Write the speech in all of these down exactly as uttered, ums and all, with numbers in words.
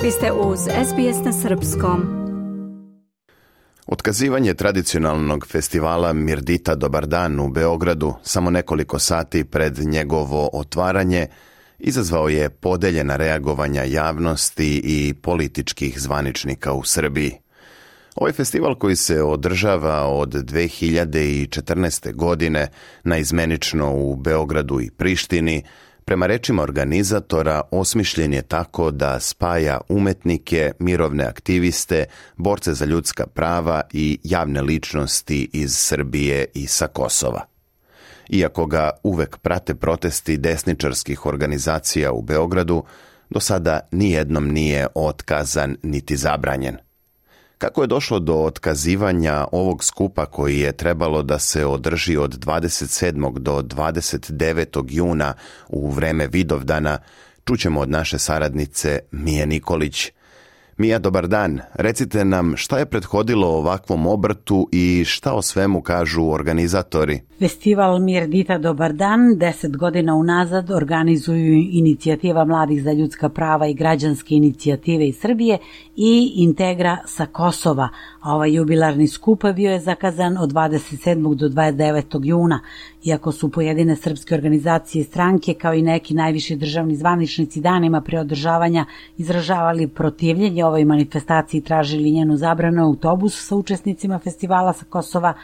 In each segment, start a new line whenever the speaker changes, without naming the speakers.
Vi ste uz S B S na srpskom.
Otkazivanje tradicionalnog festivala Mirdita Dobar dan u Beogradu samo nekoliko sati pred njegovo otvaranje izazvao je podeljena reagovanja javnosti i političkih zvaničnika u Srbiji. Ovaj festival koji se održava od dve hiljade četrnaeste. godine naizmenično u Beogradu i Prištini, prema rečima organizatora osmišljen je tako da spaja umetnike, mirovne aktiviste, borce za ljudska prava i javne ličnosti iz Srbije i sa Kosova. Iako ga uvek prate protesti desničarskih organizacija u Beogradu, do sada nijednom nije otkazan niti zabranjen. Kako je došlo do otkazivanja ovog skupa koji je trebalo da se održi od dvadeset sedmog do dvadeset devetog juna u vreme Vidovdana, čućemo od naše saradnice Mije Nikolić. Mija, dobar dan. Recite nam šta je prethodilo ovakvom obrtu i šta o svemu kažu organizatori?
Festival Mirdita Dobar dan deset godina unazad organizuju Inicijativa mladih za ljudska prava i građanske inicijative iz Srbije i Integra sa Kosova, a ovaj jubilarni skup bio je zakazan od dvadeset sedmog do dvadeset devetog juna. Iako su pojedine srpske organizacije i stranke, kao i neki najviši državni zvaničnici danima pre održavanja izražavali protivljenje ovoj manifestaciji i tražili njenu zabranu, autobus sa učesnicima festivala sa Kosova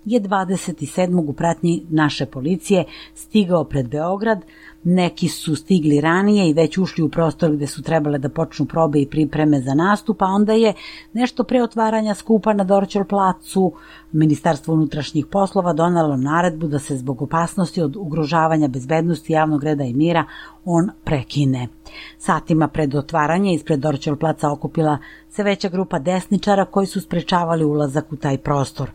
je dvadeset sedmog u pratnji naše policije stigao pred Beograd. Neki su stigli ranije i već ušli u prostor gde su trebale da počnu probe i pripreme za nastup, a onda je nešto pre otvaranja skupa na Dorćol placu Ministarstvo unutrašnjih poslova donelo naredbu da se zbog opasnosti od ugrožavanja bezbednosti javnog reda i mira on prekine. Satima pred otvaranje ispred Dorćol placa okupila se veća grupa desničara koji su sprečavali ulazak u taj prostor.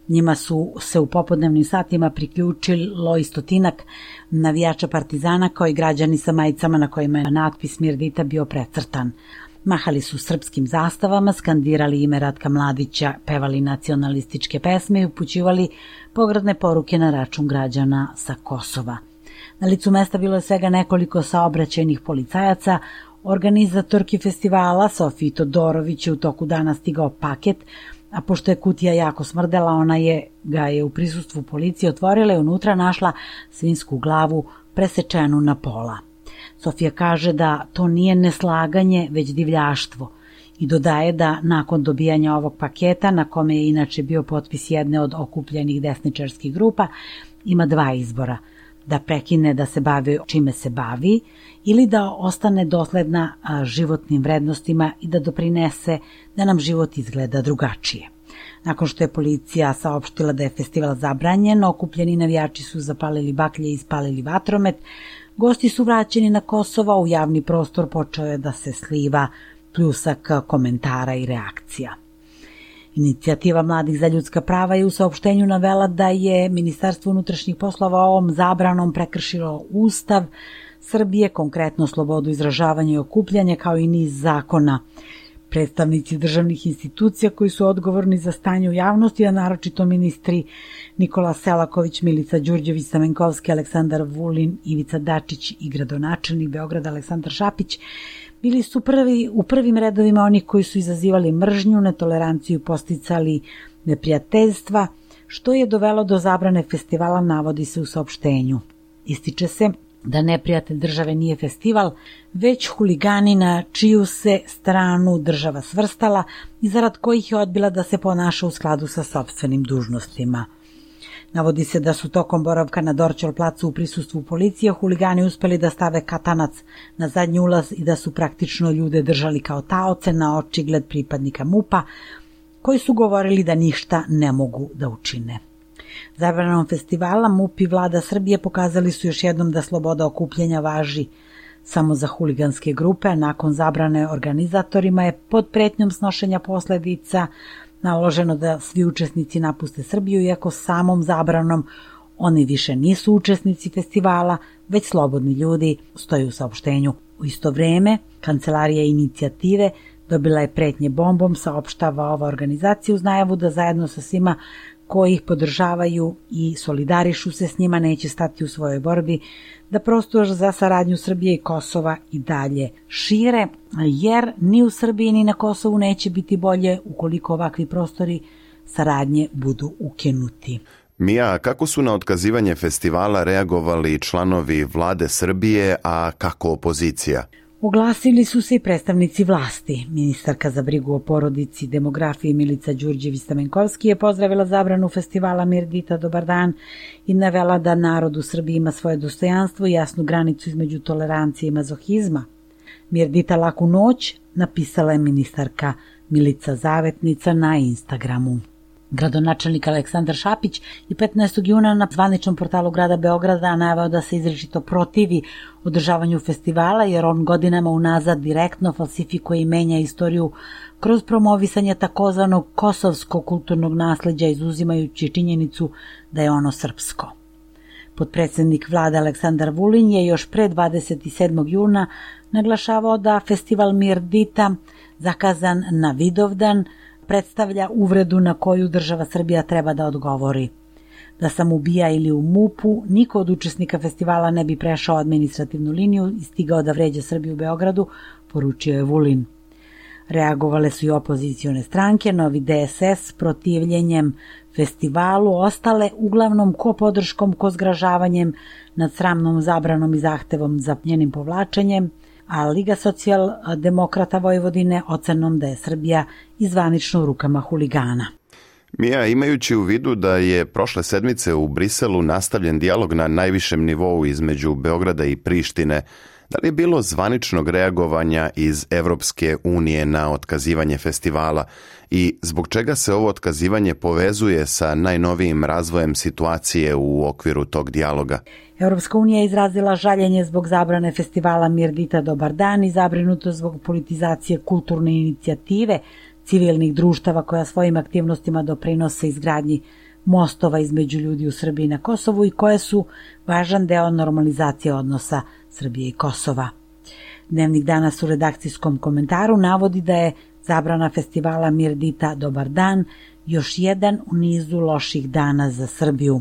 Njima su se u popodnevnim satima priključilo i stotinak navijača Partizana kao i građani sa majicama na kojima je natpis Mirdita bio precrtan. Mahali su srpskim zastavama, skandirali ime Ratka Mladića, pevali nacionalističke pesme i upućivali pogrdne poruke na račun građana sa Kosova. Na licu mesta bilo je svega nekoliko saobraćajnih policajaca. Organizatorki festivala Sofiji Todorović je u toku dana stigao paket, a pošto je kutija jako smrdela, ona je ga je u prisustvu policije otvorila i unutra našla svinjsku glavu presečenu na pola. Sofija kaže da to nije neslaganje, već divljaštvo i dodaje da nakon dobijanja ovog paketa, na kome je inače bio potpis jedne od okupljenih desničarskih grupa, ima dva izbora: da prekine da se bavi čime se bavi ili da ostane dosledna životnim vrednostima i da doprinese da nam život izgleda drugačije. Nakon što je policija saopštila da je festival zabranjen, okupljeni navijači su zapalili baklje i ispalili vatromet. Gosti su vraćeni na Kosovo, u javni prostor počeo je da se sliva pljusak komentara i reakcija. Inicijativa mladih za ljudska prava je u saopštenju navela da je Ministarstvo unutrašnjih poslova ovom zabranom prekršilo Ustav Srbije, konkretno slobodu izražavanja i okupljanja, kao i niz zakona. Predstavnici državnih institucija koji su odgovorni za stanje u javnosti, a naročito ministri Nikola Selaković, Milica Đurđević, Stamenkovski, Aleksandar Vulin, Ivica Dačić i gradonačelnik Beograda Aleksandar Šapić, bili su prvi u prvim redovima onih koji su izazivali mržnju, netoleranciju, posticali neprijateljstva, što je dovelo do zabrane festivala, navodi se u saopštenju. Ističe se da neprijatelj države nije festival, već huligani na čiju se stranu država svrstala i zarad kojih je odbila da se ponaša u skladu sa sopstvenim dužnostima. Navodi se da su tokom boravka na Dorćol placu u prisustvu policije huligani uspeli da stave katanac na zadnji ulaz i da su praktično ljude držali kao taoce na očigled pripadnika MUP-a, koji su govorili da ništa ne mogu da učine. Zabranom festivala MUP i vlada Srbije pokazali su još jednom da sloboda okupljanja važi samo za huliganske grupe, a nakon zabrane organizatorima je pod pretnjom snošenja posledica naloženo da svi učesnici napuste Srbiju, iako samom zabranom oni više nisu učesnici festivala, već slobodni ljudi, stoji u saopštenju. U isto vreme, Kancelarija inicijative dobila je pretnje bombom, saopštava ova organizacija uz najavu da zajedno sa svima koji ih podržavaju i solidarišu se s njima neće stati u svojoj borbi da prostor za saradnju Srbije i Kosova i dalje šire, jer ni u Srbiji ni na Kosovu neće biti bolje ukoliko ovakvi prostori saradnje budu ukinuti.
Mija, kako su na otkazivanje festivala reagovali članovi vlade Srbije, a kako opozicija?
Oglasili su se i predstavnici vlasti. Ministarka za brigu o porodici i demografiji Milica Đurđević-Stamenkovski je pozdravila zabranu festivala Mirdita Dobar dan i navela da narod u Srbiji ima svoje dostojanstvo i jasnu granicu između tolerancije i mazohizma. Mirdita laku noć, napisala je ministarka Milica Zavetnica na Instagramu. Gradonačelnik Aleksandar Šapić je petnaestog juna na zvaničnom portalu grada Beograda naveo da se izričito protivi održavanju festivala jer on godinama unazad direktno falsifikuje i menja istoriju kroz promovisanje takozvanog kosovskog kulturnog nasleđa izuzimajući činjenicu da je ono srpsko. Potpredsednik vlade Aleksandar Vulin je još pre dvadeset sedmog juna naglašavao da festival Mirdita, zakazan na Vidovdan, predstavlja uvredu na koju država Srbija treba da odgovori. Da sam ubija ili u mupu, niko od učesnika festivala ne bi prešao administrativnu liniju i stigao da vređa Srbiju u Beogradu, poručio je Vulin. Reagovale su i opozicione stranke, Novi D S S protivljenjem festivalu, ostale uglavnom ko podrškom, ko zgražavanjem nad sramnom zabranom i zahtevom za njenim povlačenjem, a Liga socijaldemokrata Vojvodine ocenom da je Srbija izvanično u rukama huligana.
Mija, imajući u vidu da je prošle sedmice u Briselu nastavljen dijalog na najvišem nivou između Beograda i Prištine, da li je bilo zvaničnog reagovanja iz Evropske unije na otkazivanje festivala i zbog čega se ovo otkazivanje povezuje sa najnovijim razvojem situacije u okviru tog dijaloga?
Evropska unija je izrazila žaljenje zbog zabrane festivala Mirdita Dobar dan i zabrinuto zbog politizacije kulturne inicijative civilnih društava koja svojim aktivnostima doprinose izgradnji mostova između ljudi u Srbiji i na Kosovu i koje su važan deo normalizacije odnosa Srbije i Kosova. Dnevnik danas u redakcijskom komentaru navodi da je zabrana festivala Mirdita Dobar dan još jedan u nizu loših dana za Srbiju.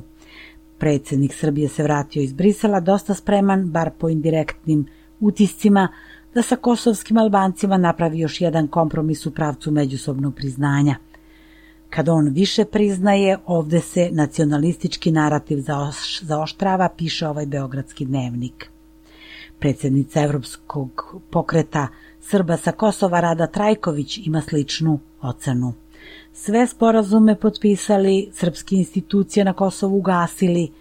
Predsjednik Srbije se vratio iz Brisela dosta spreman, bar po indirektnim utiscima, da sa kosovskim Albancima napravi još jedan kompromis u pravcu međusobnog priznanja. Kad on više priznaje, ovde se nacionalistički narativ zaoštrava, piše ovaj beogradski dnevnik. Predsjednica Evropskog pokreta Srba sa Kosova Rada Trajković ima sličnu ocenu. Sve sporazume potpisali, srpske institucije na Kosovu ugasili,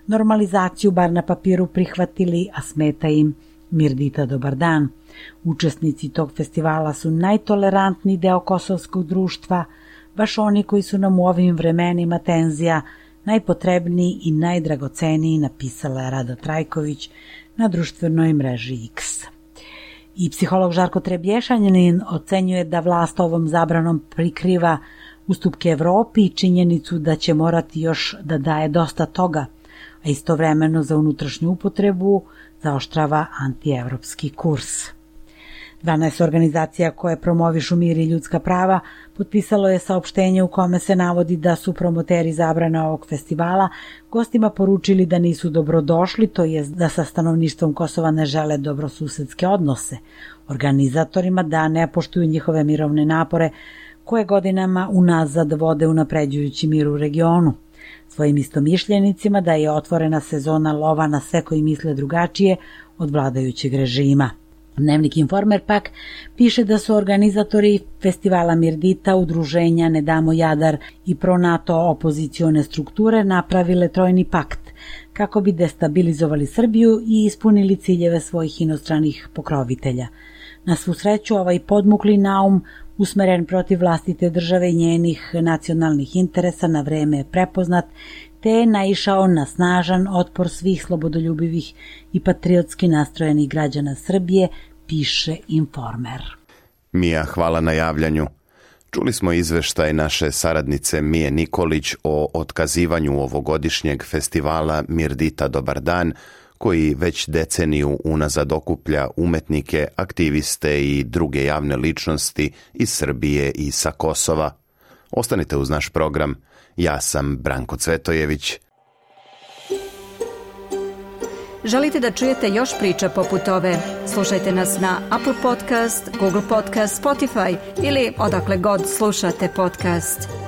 normalizaciju bar na papiru prihvatili, a smeta im Mirdita Dobar dan. Učesnici tog festivala su najtolerantniji deo kosovskog društva, baš oni koji su nam u ovim vremenima tenzija najpotrebniji i najdragoceniji, napisala je Rada Trajković na društvenoj mreži X. I psiholog Žarko Trebješanjanin ocenjuje da vlast ovom zabranom prikriva ustupke Evropi i činjenicu da će morati još da daje dosta toga, a istovremeno za unutrašnju upotrebu zaoštrava antievropski kurs. dvanaest organizacija koje promovišu mir i ljudska prava potpisalo je saopštenje u kome se navodi da su promoteri zabrane ovog festivala gostima poručili da nisu dobrodošli, to jest da sa stanovništvom Kosova ne žele dobrosusedske odnose, organizatorima da ne poštuju njihove mirovne napore koje godinama unazad vode unapređujući mir u regionu, svojim istomišljenicima da je otvorena sezona lova na sve koji misle drugačije od vladajućeg režima. Dnevnik Informer pak piše da su organizatori festivala Mirdita, udruženja Ne damo Jadar i pro-NATO opozicione strukture napravile trojni pakt kako bi destabilizovali Srbiju i ispunili ciljeve svojih inostranih pokrovitelja. Na svu sreću, ovaj podmukli naum usmeren protiv vlastite države i njenih nacionalnih interesa na vreme je prepoznat, te je naišao na snažan otpor svih slobodoljubivih i patriotski nastrojenih građana Srbije, piše Informer.
Mija, hvala na javljanju. Čuli smo izveštaj naše saradnice Mije Nikolić o otkazivanju ovogodišnjeg festivala Mirdita Dobar dan, koji već deceniju unazad okuplja umetnike, aktiviste i druge javne ličnosti iz Srbije i sa Kosova. Ostanite uz naš program. Ja sam Branko Cvetojević.
Želite da čujete još priča poput ove? Slušajte nas na Apple Podcast, Google Podcast, Spotify ili odakle god slušate podcast.